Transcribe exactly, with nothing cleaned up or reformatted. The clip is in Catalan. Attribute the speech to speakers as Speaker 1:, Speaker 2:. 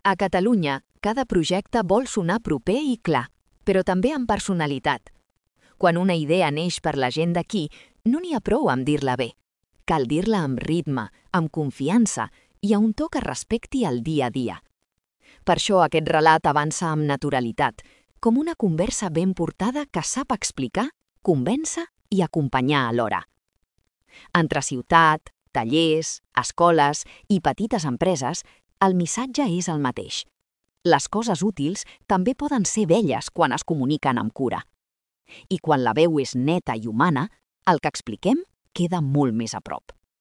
Speaker 1: A Catalunya, cada projecte vol sonar proper i clar, però també amb personalitat. Quan una idea neix per la gent d'aquí, no n'hi ha prou amb dir-la bé. Cal dir-la amb ritme, amb confiança i a un to que respecti el dia a dia. Per això aquest relat avança amb naturalitat, com una conversa ben portada que sap explicar, convèncer i acompanyar alhora. Entre ciutat, tallers, escoles i petites empreses, el missatge és el mateix. Les coses útils també poden ser belles quan es comuniquen amb cura. I quan la veu és neta i humana, el que expliquem queda molt més a prop.